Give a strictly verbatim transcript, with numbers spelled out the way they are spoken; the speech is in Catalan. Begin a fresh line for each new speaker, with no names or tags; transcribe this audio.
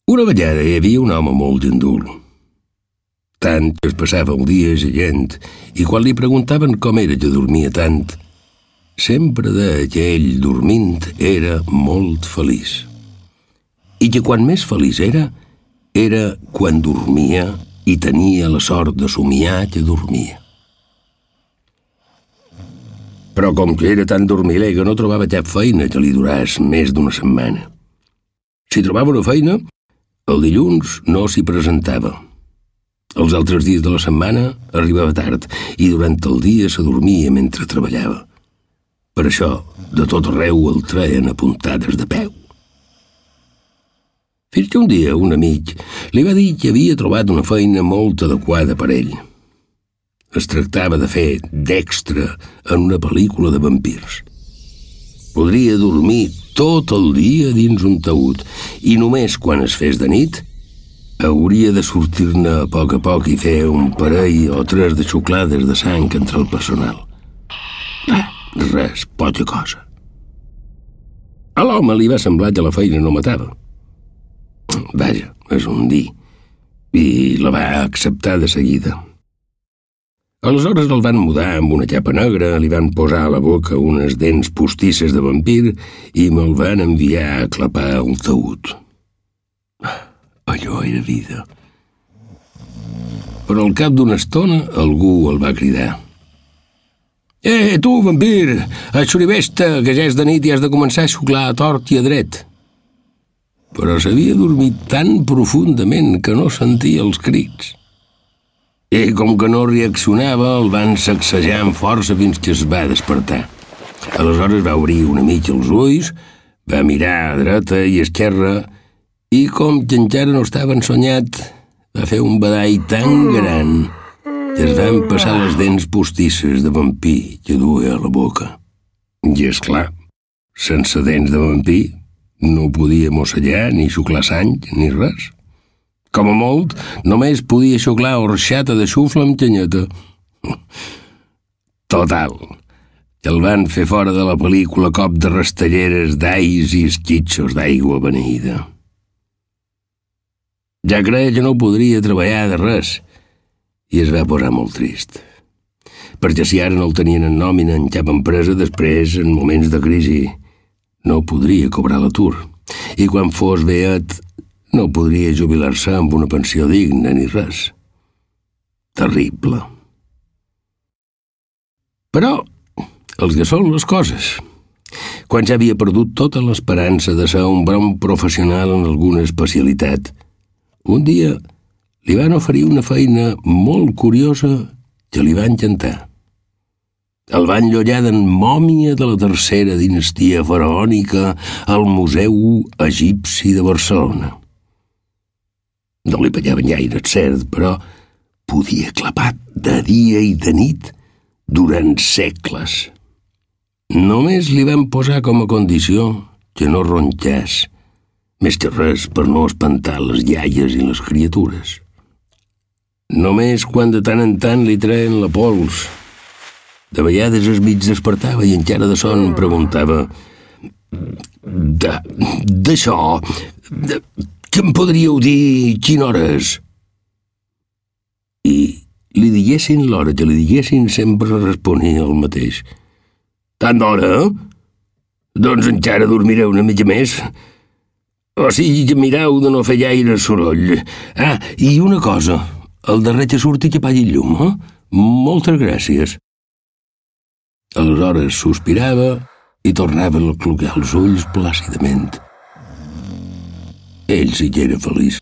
Una vegada hi havia un home molt gandul. Tant que es passava el dia gent, i quan li preguntaven com era que dormia tant, sempre deia que ell, dormint, era molt feliç. I que quan més feliç era, era quan dormia i tenia la sort de somiar que dormia. Però com que era tan dormiler que no trobava cap feina que li duràs més d'una setmana. Si trobava una feina, el dilluns no s'hi presentava. Els altres dies de la setmana arribava tard i durant el dia s'adormia mentre treballava. Per això, de tot arreu el treien a puntades de peu. Fins que un dia un amic li va dir que havia trobat una feina molt adequada per ell. Es tractava de fer d'extra en una pel·lícula de vampirs. Podria dormir tot el dia dins un taüt i només quan es fes de nit hauria de sortir-ne a poc a poc i fer un parell o tres de xuclades de sang entre el personal. Ah, res, poca cosa. A l'home li va semblar que la feina no matava. Vaja, és un dir. I la va acceptar de seguida. Aleshores el van mudar amb una capa negra, li van posar a la boca unes dents postisses de vampir i me'l van enviar a clapar un taüt. Allò era vida. Però al cap d'una estona algú el va cridar. «Eh, tu, vampir! Aixoribesta, que ja és de nit i has de començar a xuclar a tort i a dret!» Però s'havia dormit tan profundament que no sentia els crits. I com que no reaccionava, el van sacsejar amb força fins que es va despertar. Aleshores va obrir una mica els ulls, va mirar a dreta i a esquerra i, com que encara no estava ensonyat, va fer un badall tan gran que es van passar les dents postisses de vampir que duia a la boca. I, esclar, sense dents de vampir no podia mossegar ni xuclar sang ni res. Com a molt, només podia xuclar orxata de xufla amb canyeta. Total, que el van fer fora de la pel·lícula cop de rastelleres d'ais i esquitxos d'aigua beneïda. Ja creia que no podria treballar de res i es va posar molt trist. Perquè si ara no el tenien en nòmina en cap empresa, després, en moments de crisi, no podria cobrar l'atur. I quan fos beat, no podria jubilar-se amb una pensió digna ni res. Terrible. Però els que són les coses. Quan ja havia perdut tota l'esperança de ser un bon professional en alguna especialitat, un dia li van oferir una feina molt curiosa que li va encantar. El van llollar d'en mòmia de la tercera dinastia faraònica al Museu Egipci de Barcelona. No li pallaven gaire, cert, però podia clapar de dia i de nit durant segles. Només li van posar com a condició que no ronxés, més que res per no espantar les iaies i les criatures. Només quan de tant en tant li treien la pols. De vegades es mig despertava i encara de son em preguntava «D'això, que em podríeu dir quina hora és?» I li diguessin l'hora que li diguessin sempre responia el mateix. «Tant d'hora? Doncs encara dormireu una mica més. O sigui que mireu de no fer gaire soroll. Ah, i una cosa, el darrer que surti que apagui el llum, eh? Moltes gràcies». Aleshores sospirava i tornava a clocar els ulls plàcidament. Ell sí que era feliç.